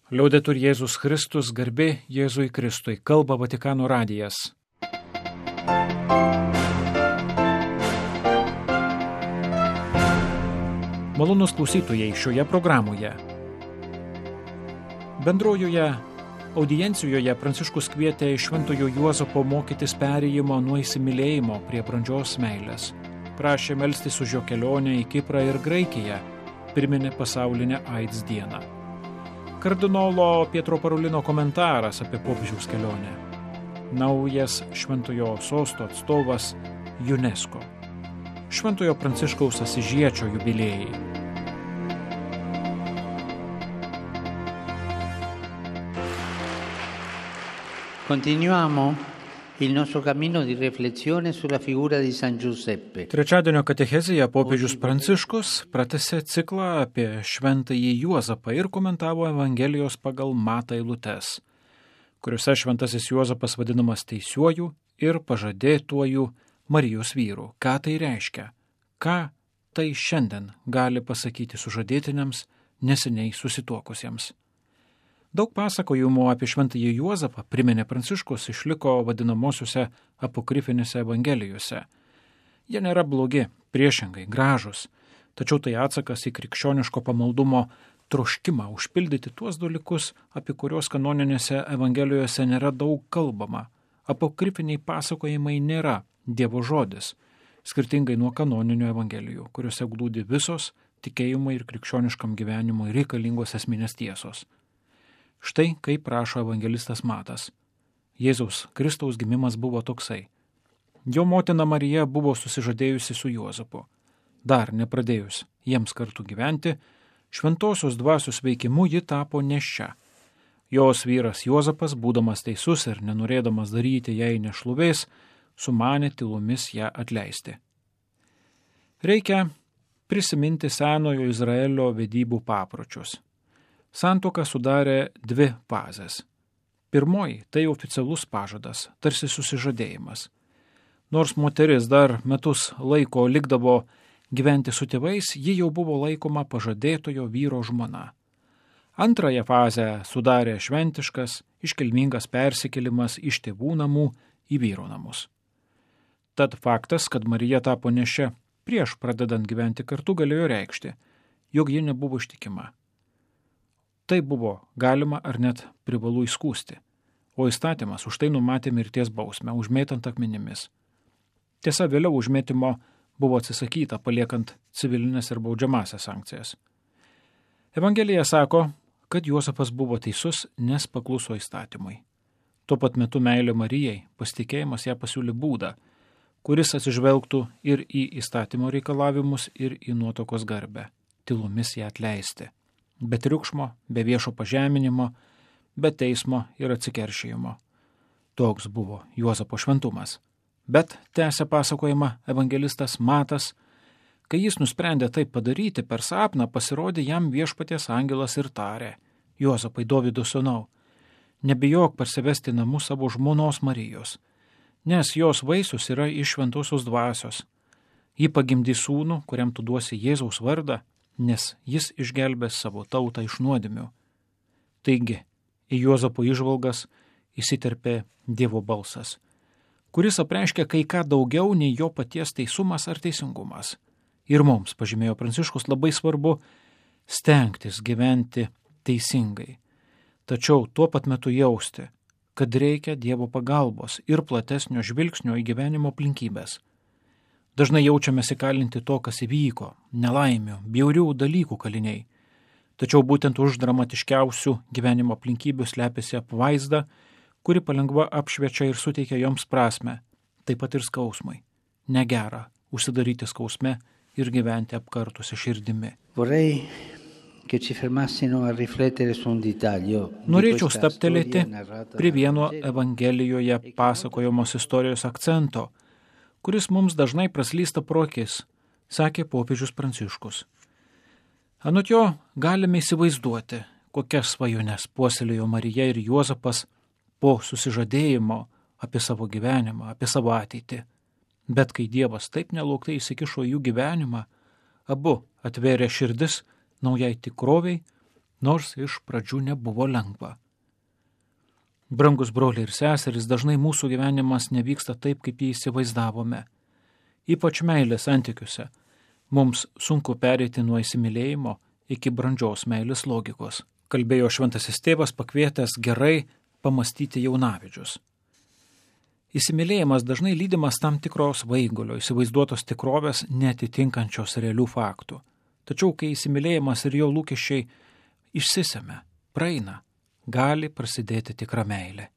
Liaudetur Jėzus Kristus, garbė Jėzui Kristui, kalba Vatikano radijas. Malonūs klausytojai šioje programoje. Bendrojoje audiencijoje Pranciškus kvietė Šventojo Juozapo mokytis perėjimo nuo įsimylėjimo prie brandžios meilės. Prašė melstis už jo kelionę į Kiprą ir Graikiją, priminė pasaulinę AIDS dieną. Kardinolo Pietro Parolino komentaras apie popiežiaus kelionę. Naujas Šventojo sosto atstovas UNESCO. Šventojo Pranciškaus Asyžiečio jubiliejai. Continuiamo il nostro cammino di riflessione sulla figura di San Giuseppe. Trečiadienio katechezėje popiežius Pranciškus pratęsė ciklą apie šventąjį Juozapą ir komentavo Evangelijos pagal Matą eilutes, kuriuose šventasis Juozapas vadinamas teisiuoju ir pažadėtuoju Marijos vyru. Ką tai reiškia? Ką tai šiandien gali pasakyti sužadėtiniams neseniai susituokusiems? Daug pasakojimų apie šventąjį Juozapą, priminė Pranciškus, išliko vadinamosiuose apokrifinėse evangelijose. Jie nėra blogi, priešingai, gražus, tačiau tai atsakas į krikščioniško pamaldumo troškimą užpildyti tuos dalykus, apie kuriuos kanoninėse evangelijose nėra daug kalbama. Apokrifiniai pasakojimai nėra Dievo žodis, skirtingai nuo kanoninių evangelijų, kuriuose glūdi visos tikėjimui ir krikščioniškam gyvenimui reikalingos esminės tiesos. Štai kaip rašo evangelistas Matas. Jėzaus Kristaus gimimas buvo toksai. Jo motina Marija buvo susižadėjusi su Juozapu. Dar nepradėjus jiems kartu gyventi, šventosios dvasios veikimu ji tapo nėščia. Jos vyras Juozapas, būdamas teisus ir nenorėdamas daryti jai nešlovės, sumanė tylomis ją atleisti. Reikia prisiminti senojo Izraelio vedybų papročius. Santuoką sudarė dvi fazės. Pirmoji – tai oficialus pažadas, tarsi susižadėjimas. Nors moteris dar metus laiko likdavo gyventi su tėvais, ji jau buvo laikoma pažadėtojo vyro žmona. Antrąją fazę sudarė šventiškas, iškilmingas persikėlimas iš tėvų namų į vyro namus. Tad faktas, kad Marija tapo nėščia prieš pradedant gyventi kartu, galėjo reikšti, jog ji nebuvo ištikima. Tai buvo galima ar net privalu įskųsti, o įstatymas už tai numatė mirties bausmę, užmėtant akmenimis. Tiesa, vėliau užmėtimo buvo atsisakyta, paliekant civilinės ir baudžiamąsias sankcijas. Evangelija sako, kad Juozapas buvo teisus, nes pakluso įstatymui. Tuo pat metu meilė Marijai, pasitikėjimas ją pasiūlė būdą, kuris atsižvelgtų ir į įstatymo reikalavimus, ir į nuotokos garbę, tylomis ją atleisti. Be triukšmo, be viešo pažeminimo, be teismo ir atsikeršijimo. Toks buvo Juozapo šventumas. Bet, tęsia pasakojimą evangelistas Matas, kai jis nusprendė taip padaryti, per sapną pasirodė jam viešpaties angelas ir tarė: Juozapai, Dovydo sūnau, nebijok parsivesti namų savo žmonos Marijos, nes jos vaisius yra iš šventosios dvasios. Ji pagimdys sūnų, kuriam tu duosi Jėzaus vardą, nes jis išgelbės savo tautą iš nuodėmių. Taigi, į Juozapo įžvalgas įsiterpė Dievo balsas, kuris apreiškia kai ką daugiau nei jo paties teisumas ar teisingumas. Ir mums, pažymėjo Pranciškus, labai svarbu stengtis gyventi teisingai, tačiau tuo pat metu jausti, kad reikia Dievo pagalbos ir platesnio žvilgsnio į gyvenimo aplinkybės. Dažnai jaučiamės įkalinti to, kas įvyko, nelaimių, bjaurių dalykų kaliniai. Tačiau būtent už dramatiškiausių gyvenimo aplinkybių slepiasi apvaizda, kuri palengva apšviečia ir suteikia joms prasmę, taip pat ir skausmui. Negera užsidaryti skausme ir gyventi apkartusi širdimi. Norėčiau stabtelėti prie vieno Evangelijoje pasakojamos istorijos akcento, kuris mums dažnai praslysta pro akis, sakė popiežius Pranciškus. Anot jo galime įsivaizduoti, kokias svajones puoselėjo Marija ir Juozapas po susižadėjimo apie savo gyvenimą, apie savo ateitį. Bet kai Dievas taip nelauktai įsikišo jų gyvenimą, abu atvėrė širdis naujai tikroviai, nors iš pradžių nebuvo lengva. Brangus broliai ir seserys, dažnai mūsų gyvenimas nevyksta taip, kaip jį įsivaizdavome. Ypač meilės santykiuose. Mums sunku pereiti nuo įsimylėjimo iki brandžios meilės logikos. Kalbėjo šventasis tėvas, pakvietęs gerai pamastyti jaunavedžius. Įsimylėjimas dažnai lydimas tam tikros vaigulio, įsivaizduotos tikrovės neatitinkančios realių faktų. Tačiau, kai įsimylėjimas ir jo lūkesčiai išsisemia, praeina, gali prasidėti tikra meilė.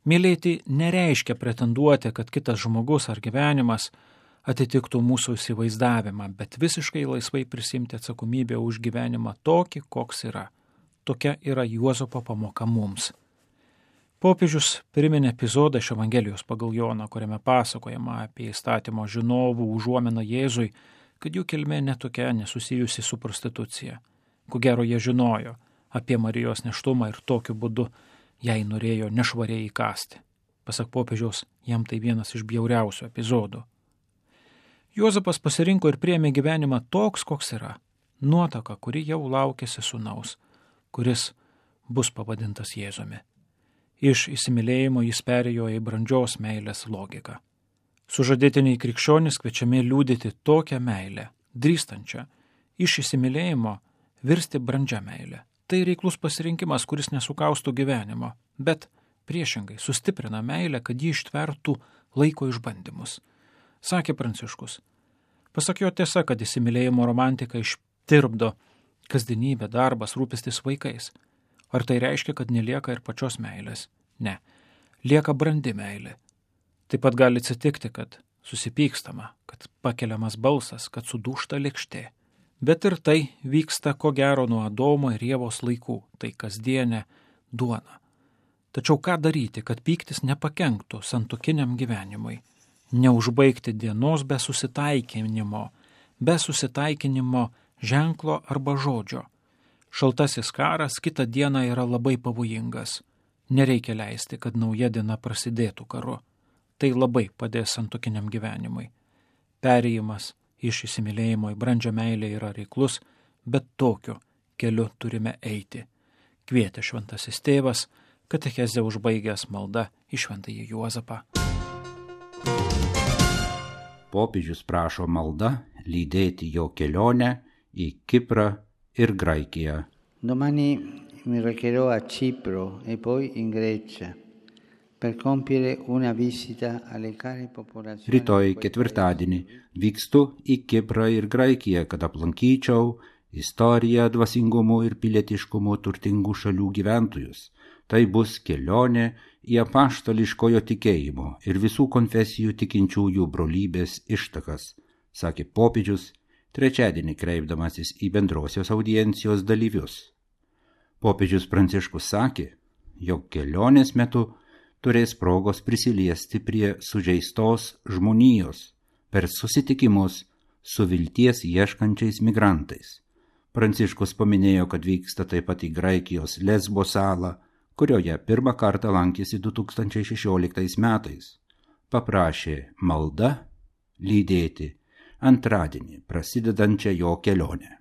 Mylėti nereiškia pretenduoti, kad kitas žmogus ar gyvenimas atitiktų mūsų įsivaizdavimą, bet visiškai laisvai prisimti atsakomybę už gyvenimą tokį, koks yra. Tokia yra Juozapo pamoka mums. Popiežius priminė epizodą iš Evangelijos pagal Joną, kuriame pasakojama apie įstatymo žinovų užuominą Jėzui, kad jų kilmė netokia nesusijusi su prostitucija. Ko gero jie žinojo apie Marijos nėštumą ir tokiu būdu jai norėjo nešvariai įkasti. Pasak popiežiaus, jam tai vienas iš bjauriausių epizodų. Juozapas pasirinko ir priėmė gyvenimą toks, koks yra. Nuotaka, kuri jau laukėsi sūnaus, kuris bus pavadintas Jėzumi. Iš įsimylėjimo jis perėjo į brandžios meilės logiką. Sužadėtiniai krikščionys kviečiami liudyti tokią meilę, drįstančią, iš įsimylėjimo virsti brandžią meilę. Tai reiklus pasirinkimas, kuris nesukaustų gyvenimo, bet priešingai sustiprina meilę, kad ji ištvertų laiko išbandymus. Sakė Pranciškus. Pasak jo tiesa, kad įsimylėjimo romantika ištirpdo kasdienybę, darbas, rūpestis vaikais. Ar tai reiškia, kad nelieka ir pačios meilės? Ne. Lieka brandi meilė. Taip pat gali atsitikti, kad susipykstama, kad pakeliamas balsas, kad sudūžta lėkštė. Bet ir tai vyksta ko gero nuo Adomo ir Ievos laikų, tai kasdienė duona. Tačiau ką daryti, kad pyktis nepakenktų santuokiniam gyvenimui? Neužbaigti dienos be susitaikinimo ženklo arba žodžio. Šaltasis karas kitą dieną yra labai pavojingas. Nereikia leisti, kad nauja diena prasidėtų karu. Tai labai padės santuokiniam gyvenimui. Perėjimas iš įsimylėjimo į brandžią meilę yra reiklus, bet tokiu keliu turime eiti. Kvietė šventasis tėvas, katechezę užbaigęs malda į šventąjį Juozapą. Popiežius prašo malda lydėti jo kelionę į Kiprą ir Graikiją. Domani mi recherò a Cipro e poi in Grecia per compiere una visita alle care popolazioni. Rytoj ketvirtadienį vykstu į Kiprą ir Graikiją, kad aplankyčiau istoriją, dvasingumu ir pilietiškumu turtingų šalių gyventojus. Tai bus kelionė į apaštališkojo tikėjimo ir visų konfesijų tikinčiųjų brolybės ištakas, sakė popiežius, trečiadienį kreipdamasis į bendrosios audiencijos dalyvius. Popiežius Pranciškus sakė, jog kelionės metu turės progos prisiliesti prie sužeistos žmonijos per susitikimus su vilties ieškančiais migrantais. Pranciškus paminėjo, kad vyksta taip pat į Graikijos Lesbo salą, kurioje pirmą kartą lankėsi 2016 metais. Paprašė malda lydėti antradienį prasidedančią jo kelionę.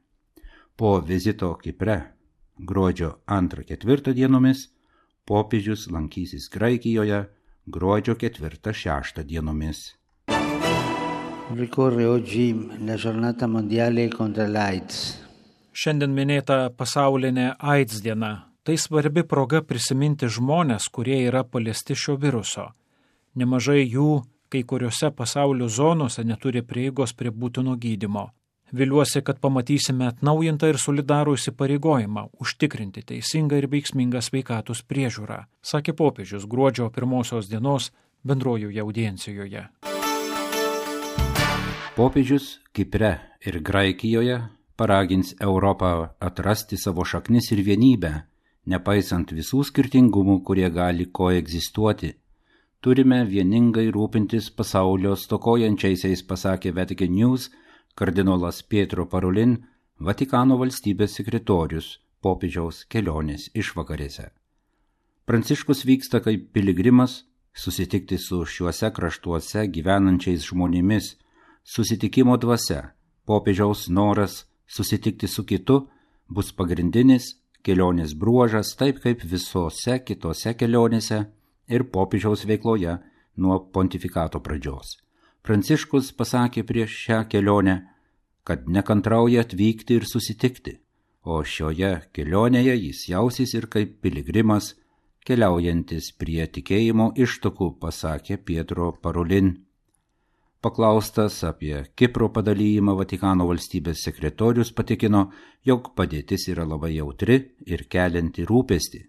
Po vizito Kipre gruodžio 2-4 dienomis popiežius lankysis Graikijoje gruodžio 4-6 dienomis. Ricorre oggi la giornata mondiale contro l'AIDS. Šiandien minėta pasaulinė AIDS diena. Tai svarbi proga prisiminti žmonės, kurie yra paliesti šio viruso. Nemažai jų kai kuriuose pasaulio zonose neturi prieigos prie būtino gydymo. Viliuosi, kad pamatysime atnaujintą ir solidarų įsipareigojimą užtikrinti teisingą ir veiksmingą sveikatos priežiūrą, sakė popiežius gruodžio 1 dienos bendrojoje audiencijoje. Popiežius Kipre ir Graikijoje paragins Europą atrasti savo šaknis ir vienybę, nepaisant visų skirtingumų, kurie gali koegzistuoti. Turime vieningai rūpintis pasaulio stokojančiaisiais, pasakė Vatican News kardinolas Pietro Parolin, Vatikano valstybės sekretorius popiežiaus kelionės išvakarėse. Pranciškus vyksta kaip piligrimas susitikti su šiuose kraštuose gyvenančiais žmonėmis, susitikimo dvasia, popiežiaus noras susitikti su kitu bus pagrindinis kelionės bruožas, taip kaip visose kitose kelionėse ir popiežiaus veikloje nuo pontifikato pradžios. Pranciškus pasakė prieš šią kelionę, kad nekantrauja atvykti ir susitikti, o šioje kelionėje jis jausis ir kaip piligrimas, keliaujantis prie tikėjimo ištakų, pasakė Pietro Parolin. Paklaustas apie Kipro padalijimą, Vatikano valstybės sekretorius patikino, jog padėtis yra labai jautri ir kelianti rūpestį.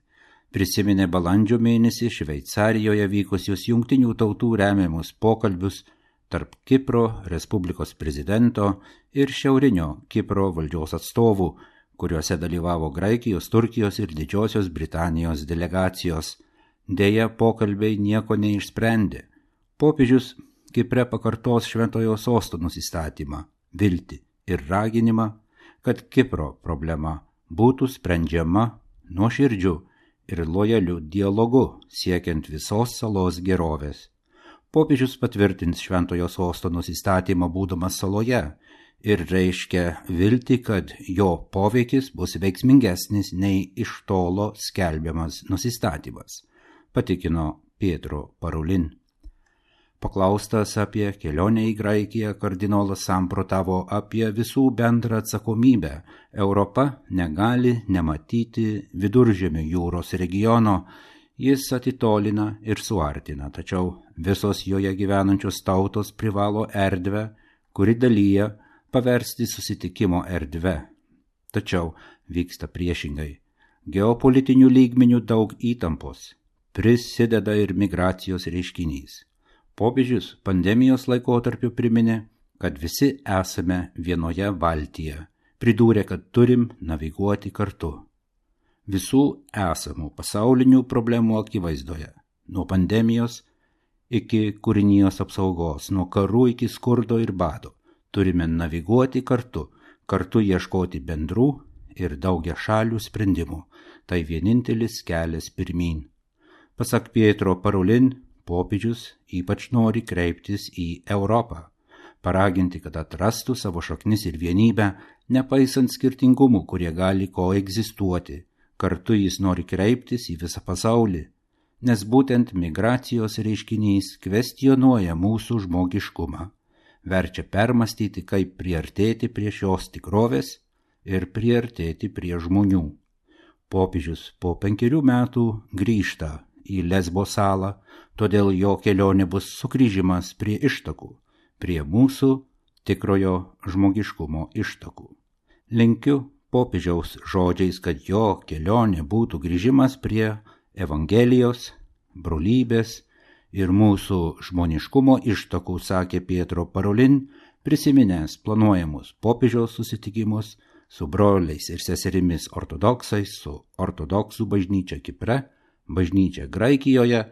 Prisiminė balandžio mėnesį Šveicarijoje vykusius Jungtinių tautų remiamus pokalbius tarp Kipro Respublikos prezidento ir šiaurinio Kipro valdžios atstovų, kuriuose dalyvavo Graikijos, Turkijos ir Didžiosios Britanijos delegacijos. Deja, pokalbiai nieko neišsprendė. Popiežius Kipre pakartos Šventojo Sosto nusistatymą, viltį ir raginimą, kad Kipro problema būtų sprendžiama nuoširdžiu ir lojaliu dialogu, siekiant visos salos gerovės. Popiežius patvirtins Šventojo Sosto nusistatymą būdamas saloje ir reiškia viltį, kad jo poveikis bus veiksmingesnis nei iš tolo skelbiamas nusistatymas, patikino Pietro Parolin. Paklaustas apie kelionę į Graikiją, kardinolas samprotavo apie visų bendrą atsakomybę. Europa negali nematyti Viduržemio jūros regiono, jis atitolina ir suartina, tačiau visos joje gyvenančios tautos privalo erdvę, kuri dalyja, paversti susitikimo erdve. Tačiau vyksta priešingai. Geopolitinių lygmenių daug įtampos. Prisideda ir migracijos reiškinys. Popiežius pandemijos laikotarpiu priminė, kad visi esame vienoje valtyje. Pridūrė, kad turim naviguoti kartu. Visų esamų pasaulinių problemų akivaizdoje, nuo pandemijos iki kūrinijos apsaugos, nuo karų iki skurdo ir bado, turime naviguoti kartu ieškoti bendrų ir daugiašalių sprendimų. Tai vienintelis kelias pirmyn. Pasak Pietro Parolin, popiežius ypač nori kreiptis į Europą, paraginti, kad atrastų savo šaknis ir vienybę, nepaisant skirtingumų, kurie gali koegzistuoti. Kartu jis nori kreiptis į visą pasaulį, nes būtent migracijos reiškinys kvestionuoja mūsų žmogiškumą, verčia permastyti, kaip priartėti prie šios tikrovės ir priartėti prie žmonių. Popiežius po 5 metų grįžta į Lesbo salą, todėl jo kelionė bus sugrįžimas prie ištakų, prie mūsų tikrojo žmogiškumo ištakų. Linkiu popiežiaus žodžiais, kad jo kelionė būtų grįžimas prie Evangelijos, brolybės ir mūsų žmoniškumo ištakų, sakė Pietro Parolin, prisiminęs planuojamus popiežiaus susitikimus su broliais ir seserimis ortodoksais, su ortodoksų bažnyčia Kipre, bažnyčia Graikijoje,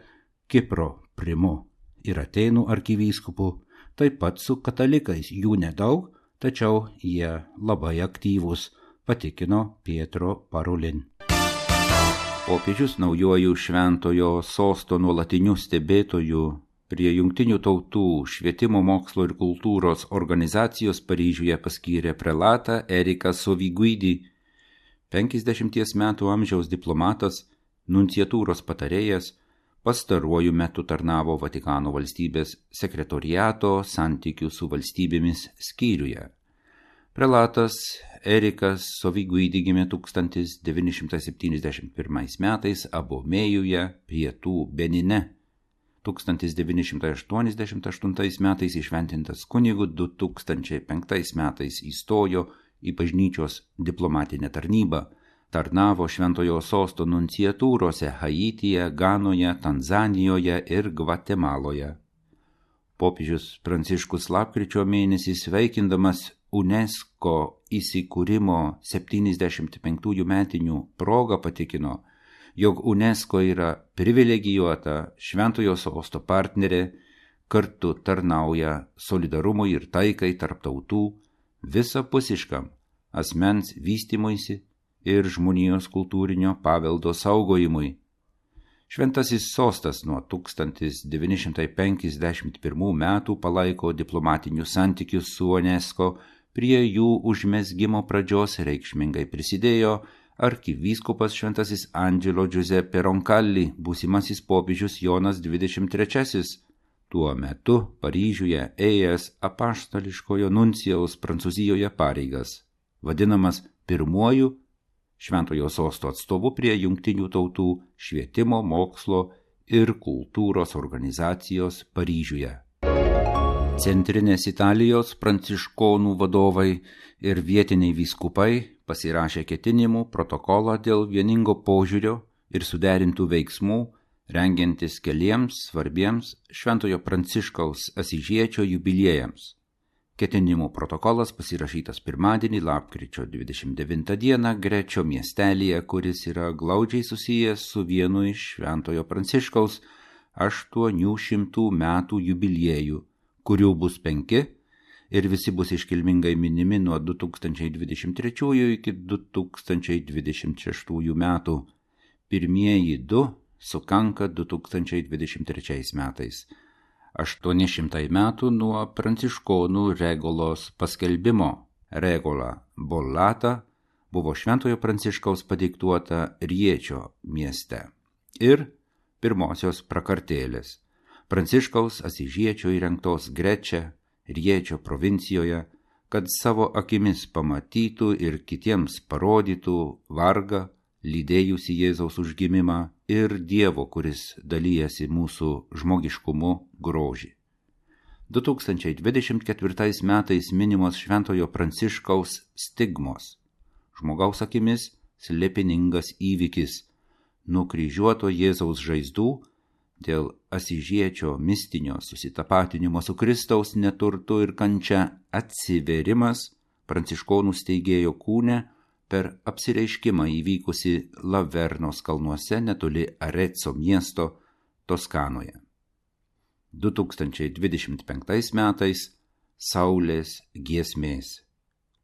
Kipro primu ir Atėnų arkivyskupu, taip pat su katalikais, jų nedaug, tačiau jie labai aktyvūs, patikino Pietro Parolin. Popiežius naujuoju Šventojo Sosto nuolatiniu stebėtoju prie Jungtinių tautų švietimo, mokslo ir kultūros organizacijos Paryžiuje paskyrė prelatą Eriką Soviguidį, 50 metų amžiaus diplomatas, nunciatūros patarėjas, pastaruoju metu tarnavo Vatikano valstybės sekretoriato santykių su valstybėmis skyriuje. Prelatas Erikas Soviguidį gimė 1971 metais Abomėjuje, pietų Benine. 1988 metais įšventintas kunigu, 2005 metais įstojo į bažnyčios diplomatinę tarnybą. Tarnavo Šventojo Sosto nunciatūrose Haityje, Ganoje, Tanzanijoje ir Gvatemaloje. Popiežius Pranciškus lapkričio mėnesį sveikindamas UNESCO įsikūrimo 75 metinių progą patikino, jog UNESCO yra privilegijuota Šventojo Sosto partnerė, kartu tarnauja solidarumui ir taikai tarp tautų, visapusiškam asmens vystymuisi ir žmonijos kultūrinio paveldo saugojimui. Šventasis Sostas nuo 1951 metų palaiko diplomatinius santykius su UNESCO, prie jų užmezgimo pradžios reikšmingai prisidėjo arkivyskupas šventasis Angelo Giuseppe Roncalli, būsimasis popiežius Jonas XXIII, tuo metu Paryžiuje ėjęs apaštališkojo nuncijaus Prancūzijoje pareigas, vadinamas pirmuoju Šventojo sosto atstovu prie Jungtinių tautų švietimo, mokslo ir kultūros organizacijos Paryžiuje. Centrinės Italijos pranciškonų vadovai ir vietiniai vyskupai pasirašė ketinimų protokolą dėl vieningo požiūrio ir suderintų veiksmų, rengiantis keliems svarbiems Šventojo Pranciškaus Asyžiečio jubiliejams. Ketinimų protokolas pasirašytas pirmadienį, lapkričio 29 dieną, Grečio miestelyje, kuris yra glaudžiai susijęs su vienu iš Šventojo Pranciškaus 800 metų jubiliejų, kurių bus 5 ir visi bus iškilmingai minimi nuo 2023 iki 2026 metų. Pirmieji 2 sukanka 2023 metais. 800 metų nuo pranciškonų regolos paskelbimo. Regola Bollata buvo Šventojo Pranciškaus padiktuota Riečio mieste. Ir pirmosios prakartėlės Pranciškaus Asyžiečio įrengtos Grečia, Riečio provincijoje, kad savo akimis pamatytų ir kitiems parodytų vargą, lydėjusi Jėzaus užgimimą ir Dievo, kuris dalyjasi mūsų žmogiškumu, grožį. 2024 metais minimos Šventojo Pranciškaus stigmos. Žmogaus akimis slėpiningas įvykis, nukryžiuoto Jėzaus žaizdų dėl Asyžiečio mistinio susitapatinimo su Kristaus neturtu ir kančia atsiverimas pranciškonų steigėjo kūne per apsireiškimą įvykusi Lavernos kalnuose netoli Arezzo miesto Toskanoje. 2025 metais Saulės giesmės.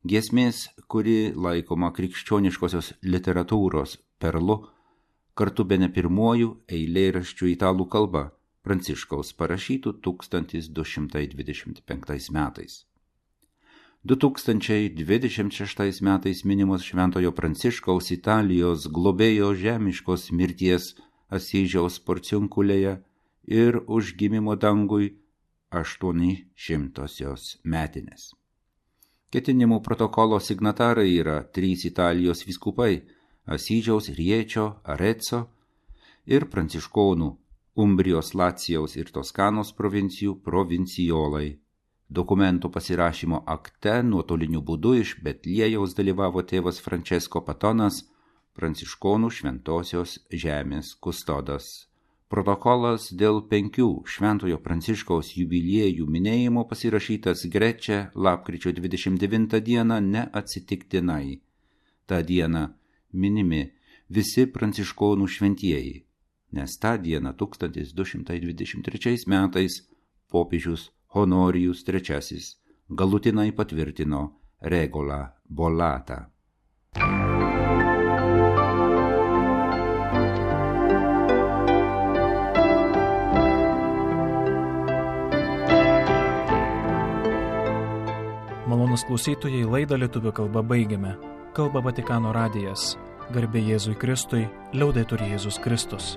Giesmės, kuri laikoma krikščioniškosios literatūros perlu, kartu bene pirmuoju eilėraščių italų kalba Pranciškaus parašytų 1225 metais. 2026 metais minimos Šventojo Pranciškaus Italijos globėjo žemiškos mirties Asyžiaus Porciunkulėje ir užgimimo dangui 800 metinės. Ketinimų protokolo signatarai yra 3 Italijos vyskupai Asyžiaus, Riečio, Arezzo ir pranciškonų Umbrijos, Lacijaus ir Toskanos provincijų provincijolai. Dokumento pasirašymo akte nuotoliniu būdu iš Betliejaus dalyvavo tėvas Francesco Patonas, pranciškonų Šventosios žemės kustodas. Protokolas dėl 5 Šventojo Pranciškaus jubiliejų minėjimo pasirašytas Grečia lapkričio 29 dieną neatsitiktinai. Ta diena minimi visi pranciškonų šventieji, nes tą dieną 1223 metais popiežius Honorijus III galutinai patvirtino Regolą Bollatą. Malonūs klausytojai, laidą lietuvių kalba baigiame. Kalba Vatikano radijas. Garbė Jėzui Kristui, liaudetur Jėzus Kristus.